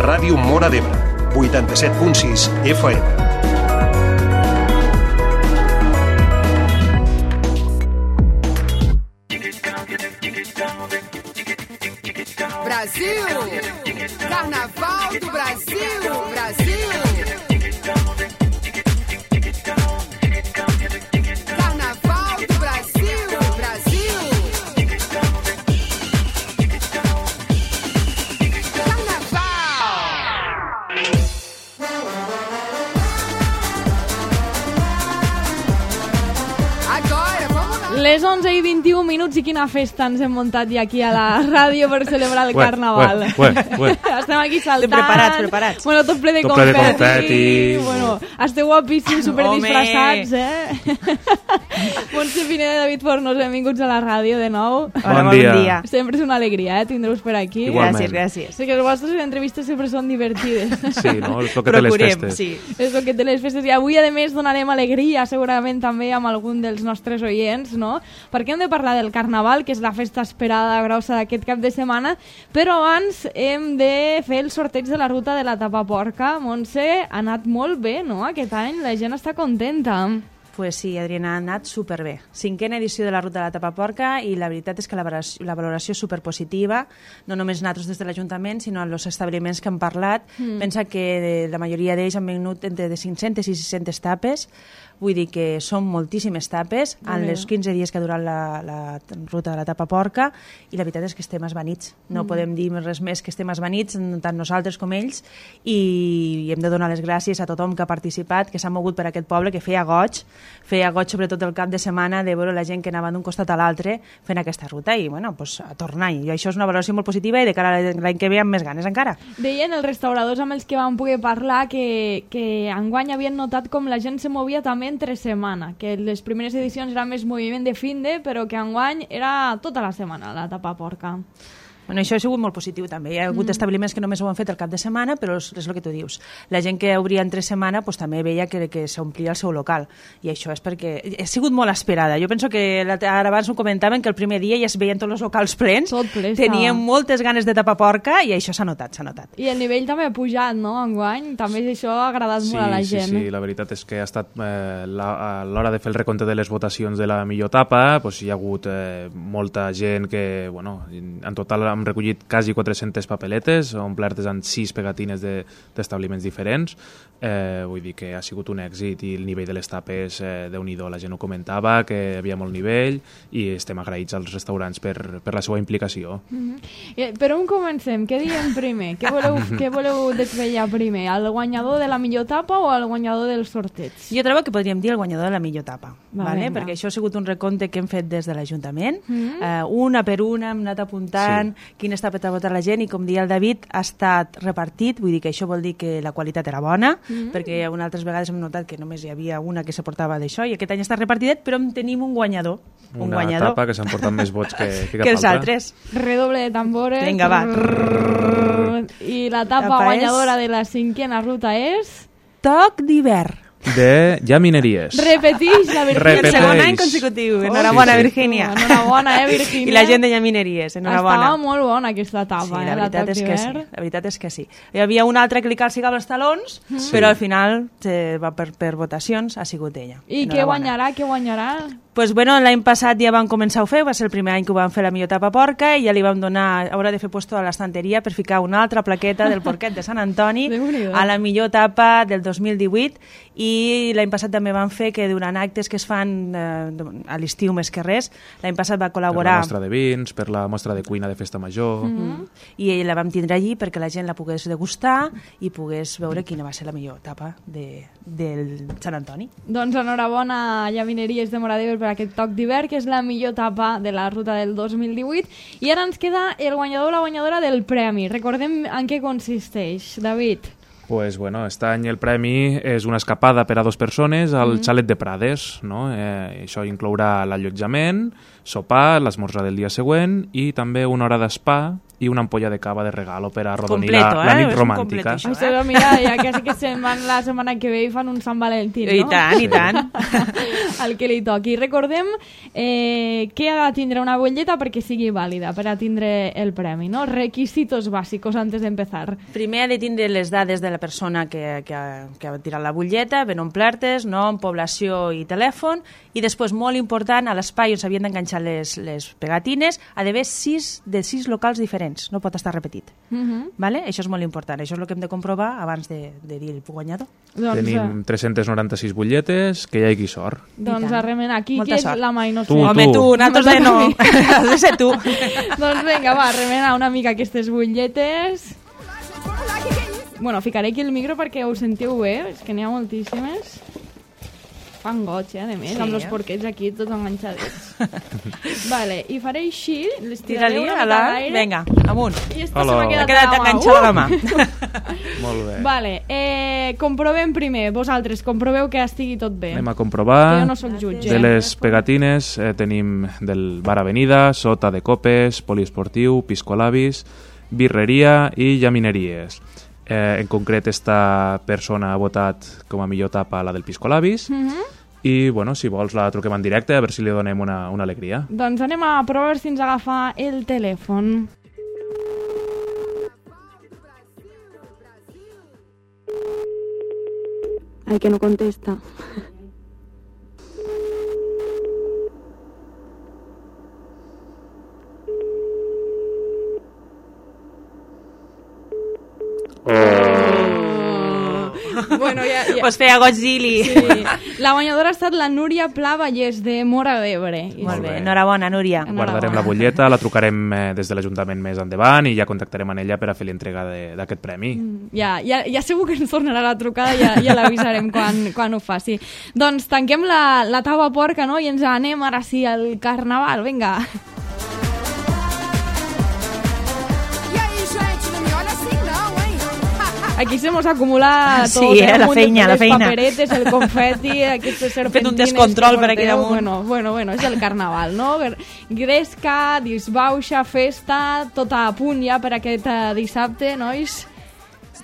Ràdio Móra d'Ebre, 87.6 FM. Brasil! Carnaval do Brasil! Brasil! Carnaval do Brasil! Brasil! Les 11:21 i quina festa ens hem muntat ja aquí a la ràdio per celebrar el Carnaval. Estem aquí saltant. Preparats. Bueno, tot ple de confeti. Bueno, esteu guapíssims, superdisfressats, Montse Pineda i David Fornos, benvinguts a la ràdio de nou. Hola, bon dia. Sempre és una alegria, tindre-vos per aquí. Igualment. Gràcies. Sí, que les vostres entrevistes sempre són divertides. Sí, no? És el que té les festes. Sí. És el que té les festes. I avui, a més, donarem alegria, segurament també amb algun dels nostres oients, no? Perquè hem de parlar del Carnaval, que és la festa esperada grossa d'aquest cap de setmana, però abans hem de fer el sorteig de la ruta de la Tapaporca. Montse, ha anat molt bé, no?, aquest any, la gent està contenta. Pues sí, Adriana, ha anat superbé. 5a edició de la ruta de la Tapaporca i la veritat és que la valoració és superpositiva, no només nosaltres des de l'Ajuntament, sinó els establiments que han parlat. Pensa que la majoria d'ells han venut entre de 500 i 600 tapes, vull dir que són moltíssimes tapes en els 15 dies que ha durat la ruta de la Tapaporca, i la veritat és que estem esvanits. No podem dir res més que estem esvanits, tant nosaltres com ells, i hem de donar les gràcies a tothom que ha participat, que s'ha mogut per aquest poble, que feia goig sobretot el cap de setmana de veure la gent que anava d'un costat a l'altre fent aquesta ruta, i bueno, pues, a tornar. I això és una valoració molt positiva, i de cara a l'any que ve amb més ganes encara. Deien els restauradors amb els que vam poder parlar que enguany havien notat com la gent se movia també entre setmana, que les primeres edicions era més moviment de finde, però que enguany era tota la setmana la Tapaporca. Bueno, això ha sigut molt positiu també. Hi ha hagut establiments que només ho han fet el cap de setmana, però és el que tu dius. La gent que obria entre setmana pues, també veia que s'omplia el seu local, i això és perquè ha sigut molt esperada. Jo penso que ara abans ho comentaven, que el primer dia ja es veien tots els locals plens, tenien moltes ganes de Tapaporca, i això s'ha notat. I el nivell també ha pujat, no?, enguany. També això ha agradat molt a la gent. Sí, la veritat és que ha estat a l'hora de fer el recompte de les votacions de la millor tapa, hi ha hagut molta gent que, bueno, en total hem recollit quasi 400 papeletes, omplertes amb 6 pegatines d'establiments diferents. Vull dir que ha sigut un èxit, i el nivell de les tapes, Déu-n'hi-do, la gent ho comentava, que hi havia molt nivell, i estem agraïts als restaurants per la seva implicació. Per on comencem? Què diem primer? Què voleu desvetllar primer? El guanyador de la millor tapa o el guanyador del sorteig? Jo trobo que podríem dir el guanyador de la millor tapa, perquè això ha sigut un recompte que hem fet des de l'Ajuntament. Una per una hem anat apuntant quines tapes ha votat la gent, i com deia el David, ha estat repartit, vull dir que això vol dir que la qualitat era bona, perquè altres vegades hem notat que només hi havia una que se portava d'això, i aquest any està repartidet, però en tenim un guanyador. Una tapa que s'han portat més vots que cap els altres. Redoble de tambores. Vinga, va. I la tapa guanyadora de la 5a ruta és... Toc d'hivern. De Llamineries. Repeteix la Virgínia. El segon any consecutiu. Enhorabona, Virgínia. Enhorabona, Virgínia. I la gent de Llamineries, enhorabona. Estava molt bona aquesta tapa, sí, la veritat és que sí. La veritat és que sí. Hi havia una altra que li calcigava els talons, però al final, per votacions, ha sigut ella. I què guanyarà? Pues bueno, l'any passat ja vam començar a fer, va ser el primer any que ho vam fer la millor Tapaporca, i ja li vam donar, haurà de fer puesto a l'estanteria per ficar una altra plaqueta del porquet de Sant Antoni a la millor tapa del 2018, i l'any passat també vam fer que durant actes que es fan a l'estiu més que res, l'any passat va col·laborar... Per la mostra de vins, per la mostra de cuina de festa major... I la vam tindre allí perquè la gent la pogués degustar i pogués veure quina va ser la millor tapa del Sant Antoni. Doncs enhorabona a Llamineries de Móra d'Ebre per aquest toc d'hivern, que és la millor tapa de la ruta del 2018. I ara ens queda el guanyador o la guanyadora del premi. Recordem en què consisteix, David. Pues bueno, aquest any el premi és una escapada per a 2 persones al xalet de Prades, no? Això inclourà l'allotjament, sopar, l'esmorzar del dia següent, i també una hora d'espa i una ampolla de cava de regalo per arrodonir Completo, la nit és un romàntica. completo, Això, mira, ja quasi que se'n van la setmana que ve i fan un Sant Valentí, no? I tant, i tant. El que li toqui. Recordem que ha de tindre una butlleta perquè sigui vàlida, per a tindre el premi, no? Requisitos bàsicos antes d'empezar. Primer ha de tindre les dades de la persona que ha tirat la butlleta, ben omplertes, nom, població i telèfon, i després, molt important, a l'espai on s'havien d'enganxar les pegatines, ha d'haver 6 locals diferents, no pot estar repetit. Vale? Això és molt important, això és el que hem de comprovar abans de dir el guanyador. Doncs, Tenim 396 butlletes, que hi hagi sort. doncs tant. a remenar. Aquí Molta que és sort. la mà i no sé. Tu. Home, tu, nosaltres no. Has de ser tu. Doncs vinga, va, remenar una mica aquestes butlletes. Vamos lá, que é isso? Bueno, ficaré aquí el micro perquè ho sentiu bé, és que n'hi ha moltíssimes. Fan goig, a més, Sí, amb els porquets aquí tots enganxadets. Vale, i faré així, les tiraré Tira-li una a mica la... d'aire. Vinga, amunt. I esta Hola. se m'ha Ha quedat, quedat a la mà. enganxada a la mà. Molt bé. Vale, comprovem primer, vosaltres, comproveu que estigui tot bé. Anem a Que comprovar. jo no sóc jutge. De les pegatines tenim del Bar Avenida, Sota de Copes, Poliesportiu, Piscolabis, Birreria i Llamineries. En concret, esta persona ha votat com a millor tapa la del Piscolabis i, bueno, si vols la truquem en directe a veure si li donem una alegria. Doncs anem a provar si ens agafa el telèfon. Ay, que no contesta. Bueno, ja... Pues feia goig dir-li. Sí. La guanyadora ha estat la Núria Pla Vallès, de Móra d'Ebre. I Molt bé. bé, enhorabona, Núria. Guardarem la butlleta, la trucarem des de l'Ajuntament més endavant i ja contactarem amb ella per a fer l'entrega d'aquest premi. Ja segur que ens tornarà la trucada, ja l'avisarem quan ho faci. Doncs tanquem la taula porca, no? I ens anem ara sí al Carnaval, vinga. E aí, gente, não me olha assim não, hein? Aquí se mos acumula Sí, tot, la Un munt feina, de la feina. paperetes, el confeti, aquestes serpentines... un descontrol que per aquí porteu. damunt. Bueno, és el Carnaval, no? Gresca, disbauxa, festa, tot a punt ja per aquest dissabte, nois?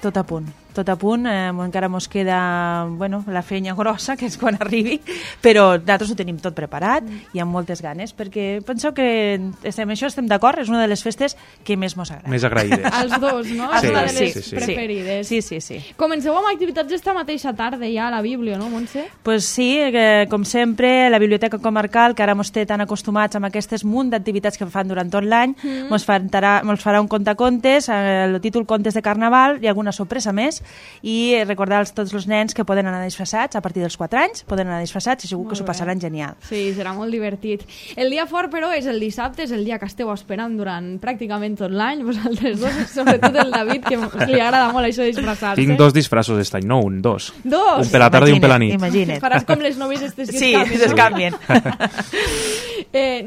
Tot a punt. Encara mos queda la feina grossa, que és quan arribi, però nosaltres ho tenim tot preparat i amb moltes ganes, perquè penseu que estem d'acord, és una de les festes que més mos agrada. Més agraïdes. Els dos, no? Sí, És una de les sí. preferides. Sí. Comenceu amb activitats esta mateixa tarda ja a la Bíblia, no, Montse? Pues sí, com sempre, la Biblioteca Comarcal, que ara mos té tan acostumats amb aquestes munt d'activitats que fan durant tot l'any, mos farà un contacontes, el títol Contes de Carnaval i alguna sorpresa més, i recordar a tots els nens que poden anar disfressats a partir dels 4 anys, poden anar disfressats i segur que s'ho passaran genial. Sí, serà molt divertit. El dia fort, però, és el dissabte, és el dia que esteu esperant durant pràcticament tot l'any, vosaltres dos, sobretot el David, que li agrada molt això de disfressar-se. Tinc 2 disfressos aquest any, no un, 2. Dos? Un per la tarda i un per la nit. Imagina't. Faràs com les noves estes que Sí, es canvien, s'escanvien.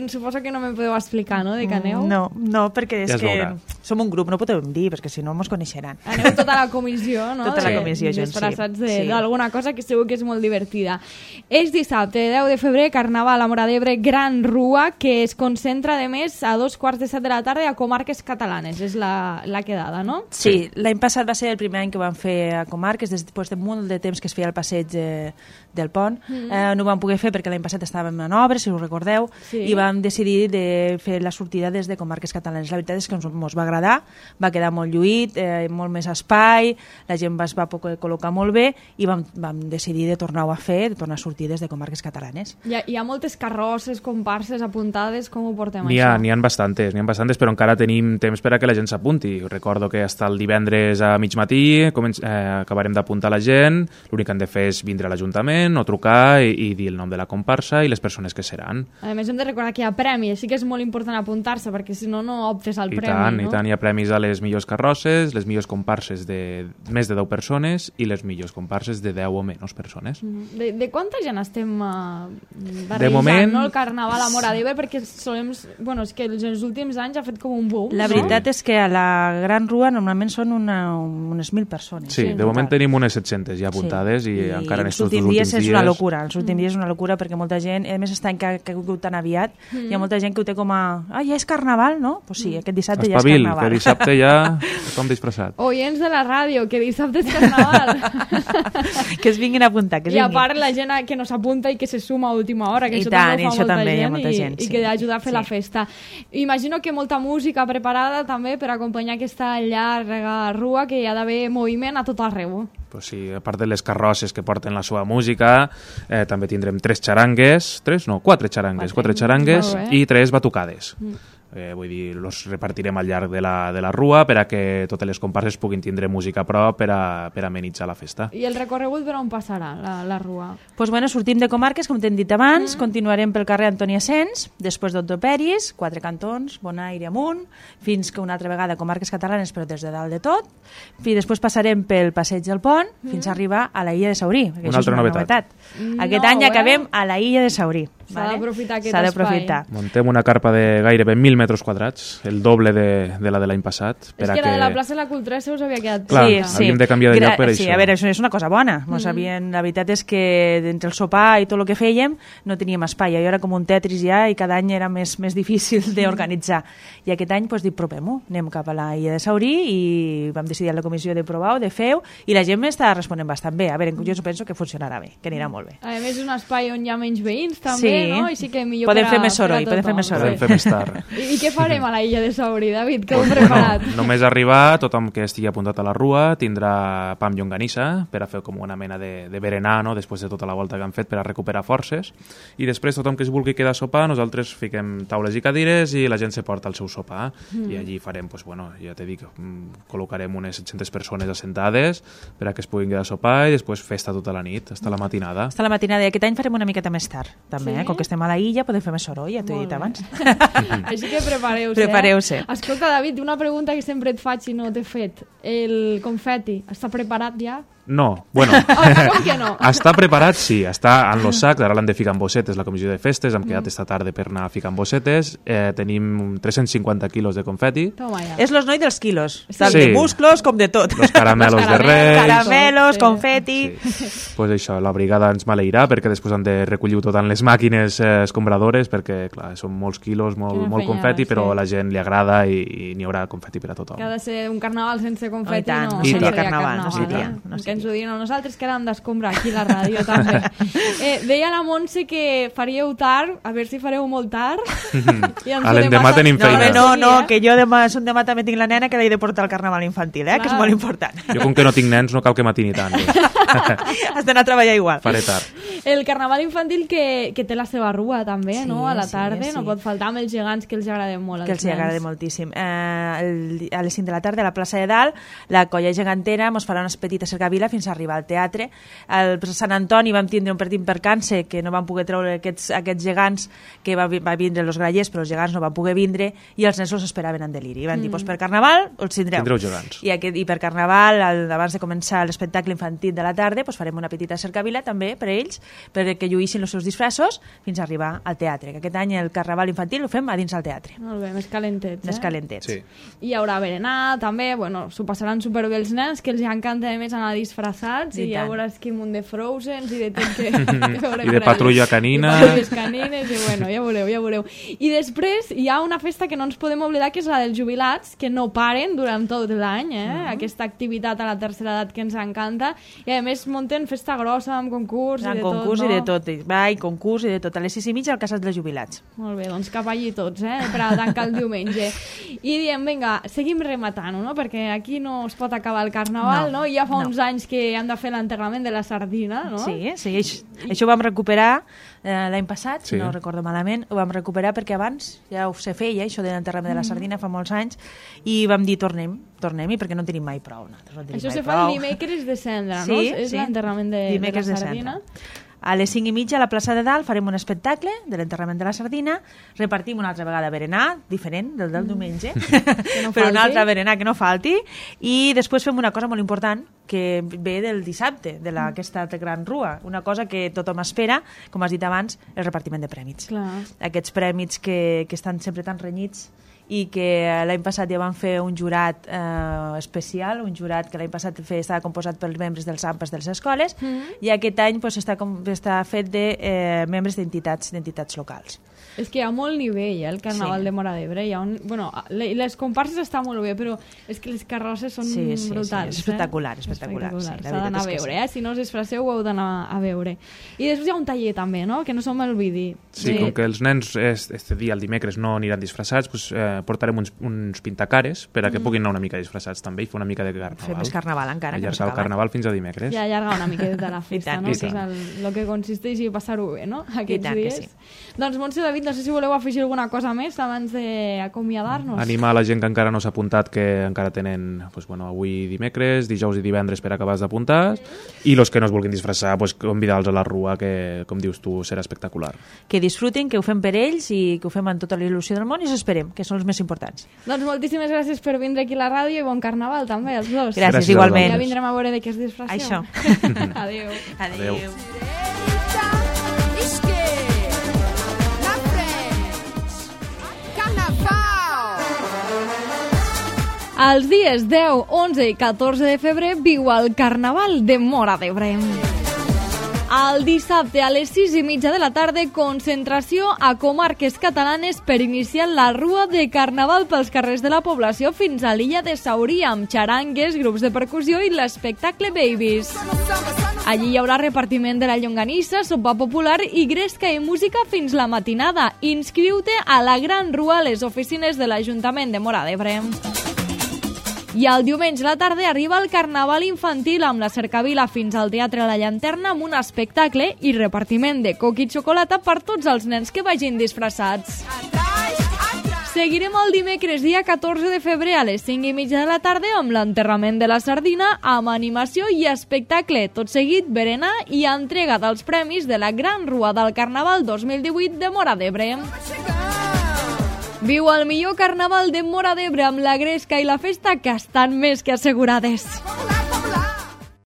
Suposo que no me podeu explicar, no?, de què aneu? No, perquè Ja és es veurà. que som un grup, no podem dir, perquè si no mos coneixeran. Aneu tota la comissió, no? Tota la comissió junts, sí. Disfressats Sí. d'alguna cosa que segur que és molt divertida. És dissabte, 10 de febrer, Carnaval a Móra d'Ebre, Gran Rua, que es concentra, de més, a 2:45 de la tarda a comarques catalanes. És la quedada, no? Sí, l'any passat va ser el primer any que ho vam fer a comarques, després de molt de temps que es feia el passeig del pont. No ho vam poder fer perquè l'any passat estàvem en obres, si us recordeu, Sí. i vam decidir de fer la sortida des de comarques catalanes. La veritat és que ens va agradar, va quedar molt lluït, molt més espai, la gent es va poder col·locar molt bé i vam decidir de tornar-ho a fer, de tornar a sortir des de comarques catalanes. Hi ha moltes carrosses, comparses apuntades, com ho portem N'hi això? ha bastantes, però encara tenim temps per a que la gent s'apunti. Recordo que hasta el divendres a mig matí acabarem d'apuntar la gent, l'únic que han de fer és vindre a l'Ajuntament o trucar i dir el nom de la comparsa i les persones que seran. A més, hem de recordar que hi ha premi, així que és molt important apuntar-se, perquè si no, no optes al I premi, no? tant, hi ha premis a les millors carrosses, les millors comparses de més de 10 persones i les millors comparses de 10 o menys persones. De quanta gent estem barrejant, De moment- no, el Carnaval a Móra d'Ebre, perquè solem... Bueno, és que els últims anys ha fet com un boom, La no? veritat és que a la Gran Rua normalment són unes 1.000 persones. Sí, de moment tenim unes 700 ja apuntades i encara en els estos dos últims últims dies dies... és una locura, els últims dies és una locura perquè molta gent, a més està en que ha caigut tan aviat, hi ha molta gent que ho té com a ja és Carnaval, no? Pues sí, aquest dissabte ja és Espavil, carnaval. que dissabte ja tothom disfressat. Oients de la ràdio, que dissabte és carnaval. Que es vinguin a apuntar, que es I a vinguin. part la gent que no s'apunta i que se suma a última hora, que I això tant, també ho i fa això també hi ha molta molta gent, gent, i sí. que ajuda a fer la Sí. festa. Imagino que molta música preparada també per acompanyar aquesta llarga rua, que hi ha d'haver moviment a tot arreu. Pues sí, a part de les carrosses que porten la seva música, també tindrem 4 xarangues Molt bé. i 3 batucades. Vull dir, los repartirem al llarg de la rua per a que totes les comparses puguin tindre música a prop per a amenitzar la festa. I el recorregut per on passarà la rua? Pues bueno, sortim de Comarques, com t'hem dit abans, continuarem pel carrer Antoni Asens, després d'Otto Peris, 4 cantons, Bonaire amunt, fins que una altra vegada Comarques Catalanes, però des de dalt de tot, i després passarem pel Passeig del Pont fins a arribar a la Illa de Saurí. Una altra novetat. Aquest any acabem a la Illa de Saurí. S'ha d'aprofitar aquest S'ha espai. d'aprofitar. Muntem una carpa de gairebé 1.000 metres quadrats, el doble de la de l'any passat. És que la de la plaça de la Cultura se us havia quedat Clar, petita. havíem de canviar de lloc per sí, això. a veure, això és una cosa bona. La veritat és que entre el sopar i tot el que fèiem no teníem espai. Jo era com un Tetris ja i cada any era més difícil d'organitzar. I aquest any doncs, dic, provem-ho. Anem cap a la Illa de Saurí i vam decidir a la comissió de provar-ho, de fer-ho, i la gent m'està responent bastant bé. A veure, jo penso que funcionarà bé, que anirà molt bé. A més, és un espai on hi ha menys veïns, també, Sí. no? I sí que millor Podem per a- fer més per a soroll, podem fer tothom. més soroll. Podem fer més tard. I què farem a la Illa de Saurí, David? Què heu preparat? Bueno, només arribar, tothom que estigui apuntat a la rua tindrà pa amb llonganissa per a fer com una mena de berenar, no? Després de tota la volta que han fet per a recuperar forces. I després tothom que es vulgui quedar a sopar, nosaltres fiquem taules i cadires i la gent se porta el seu sopar. I allí farem, pues, bueno, ja t'he dit, col·locarem unes 700 persones assentades per a que es puguin quedar a sopar i després festa tota la nit, hasta la matinada. Hasta la matinada, i aquest any farem una miqueta més tard, també, Sí? Com que estem a la illa podem fer més soroll, ja t'ho he Molt dit bé. abans. Així que prepareu-se. Prepareu-se. Escolta, David, una pregunta que sempre et faig i no t'he fet. El confeti, està preparat ja? No, bueno, Com que no? està preparat, sí, està en los sacs, ara l'han de ficar en bossetes, la comissió de festes, hem quedat esta tarda per anar a ficar en bossetes, tenim 350 quilos de confeti, Toma ja. És los noi dels quilos, Sí. tant de musclos com de tot. los caramelos de Reis, Caramelos, Sí. confeti... pues això, la brigada ens maleirà perquè després han de recollir tot en les màquines escombradores perquè, clar, són molts quilos, molt Quina confeti, fenyada, però sí. a la gent li agrada i n'hi haurà confeti per a tothom. Que ha de ser un carnaval sense confeti, Oh, i tant, no, no seria seria carnaval, no seria, eh? no Que ens ho diuen a nosaltres, que ara hem d'escombrar aquí a la ràdio, també. Deia la Montse que faríeu tard, a veure si fareu molt tard. I ens A ho l'endemà demà tenim no, feina. No, que jo demà també tinc la nena que l'he de portar al carnaval infantil, que és Clar. molt important. Jo com que no tinc nens no cal que matini tant, doncs. Has d'anar a treballar igual. Faré tard. El carnaval infantil que té la seva rua, també, Sí, no? A la sí, tarda, sí. no pot faltar amb els gegants que els agrada molt. Que els hi agrada moltíssim. A les 5 de la tarda a la plaça de Dalt, la colla gegantera ens farà unes petites cercavila fins a arribar al teatre. Al Sant Antoni vam tindre un partit percança que no van poder treure aquests gegants, que va vindre els grallers, però els gegants no van poder vindre i els nens els esperaven en deliri. I van dir, doncs per Carnaval els tindreu. Tindreu gegants. I per Carnaval, abans de començar l'espectacle infantil de la tarda, doncs farem una petita cercavila també per ells, perquè lluïssin els seus disfressos fins a arribar al teatre. Que aquest any el Carnaval infantil ho fem a dins del teatre. Molt bé, més calentets, Més calentets. Sí. I hi haurà berenar, també, bueno, s'ho passaran superbé els nens, que els encanta a més anar disfressats, I i ja tant. veuràs quin munt de Frozen i de tot que veurem I de per patrulla allà. canina. I patrulles canines, i bueno, ja veureu, ja veureu. I després hi ha una festa que no ens podem oblidar, que és la dels jubilats, que no paren durant tot l'any, aquesta activitat a la tercera edat que ens encanta, i a més munten festa grossa amb concurs i de tot, concurs no? i de tot, ball, concurs i de tot. A les 6:30 al Casal dels Jubilats. Molt bé, doncs cap allí tots, per a tancar el diumenge. I diem, vinga, seguim rematant, no? Perquè aquí no es pot acabar el carnaval, no? Ja fa uns anys que hem de fer l'enterrament de la sardina, no? Sí, això ho vam recuperar l'any passat, si Sí. no recordo malament, ho vam recuperar perquè abans ja ho se feia, això de l'enterrament de la sardina fa molts anys, i vam dir tornem-hi perquè no tenim mai prou. No tenim Això mai se fa prou. el dimecres de cendra, no? Sí, És sí. l'enterrament de la Dimecres de sardina. cendra. A les 5:30 a la plaça de Dalt farem un espectacle de l'enterrament de la sardina, repartim una altra vegada berenar, diferent del diumenge, no però una falti. altra berenar que no falti, i després fem una cosa molt important que ve del dissabte, d'aquesta gran rua, una cosa que tothom espera, com has dit abans, el repartiment de prèmits. Clar. Aquests prèmits que estan sempre tan renyits i que l'any passat ja van fer un jurat especial, un jurat que l'any passat estava composat pels membres dels AMPAs de les escoles, i aquest any està fet de membres d'entitats locals. És que hi ha molt nivell, el Carnaval de Móra d'Ebre. Les comparses estan molt bé, però és que les carrosses són brutals. És espectacular. S'ha d'anar a veure, si no us disfresseu ho heu d'anar a veure. I després hi ha un taller també, no?, que no som el vidi. Sí, com que els nens este dia, el dimecres, no aniran disfressats, portarem uns pintacares per a que puguin anar una mica disfressats també i fer una mica de carnaval. Fer més carnaval encara. Allargar el carnaval fins a dimecres. I allargar una miqueta la festa, no? Que és el que consisteix i passar-ho bé, no?, aquests dies. Doncs, Montse, David, no sé si voleu afegir alguna cosa més abans d'acomiadar-nos. Animar la gent que encara no s'ha apuntat, que encara tenen avui dimecres, dijous i divendres per acabar d'apuntar, i els que no es vulguin disfressar, convidar-los a la rua, que, com dius tu, serà espectacular. Que disfrutin, que ho fem per ells i que ho fem amb tota la il·lusió del món i s'esperem, que són els més importants. Doncs moltíssimes gràcies per vindre aquí a la ràdio i bon carnaval també, els dos. Gràcies igualment. Ja vindrem a veure de què es disfresseu. Això. Adéu. Els dies 10, 11 i 14 de febrer viu el Carnaval de Móra d'Ebre. El dissabte a les 6:30 de la tarda, concentració a comarques catalanes per iniciar la rua de Carnaval pels carrers de la població fins a l'illa de Saurí, amb xarangues, grups de percussió i l'espectacle Babies. Allí hi haurà repartiment de la llonganissa, sopa popular i gresca i música fins la matinada. Inscriu-te a la Gran Rua a les oficines de l'Ajuntament de Móra d'Ebre. I el diumenge a la tarda arriba el Carnaval infantil amb la cercavila fins al Teatre La Llanterna amb un espectacle i repartiment de coca i xocolata per tots els nens que vagin disfressats. Seguirem el dimecres, dia 14 de febrer, a les 5:30 de la tarda amb l'enterrament de la sardina, amb animació i espectacle. Tot seguit, berenar i entrega dels premis de la Gran Rua del Carnaval 2018 de Móra d'Ebre. Viu el millor Carnaval de Móra d'Ebre amb la gresca i la festa, que estan més que assegurades.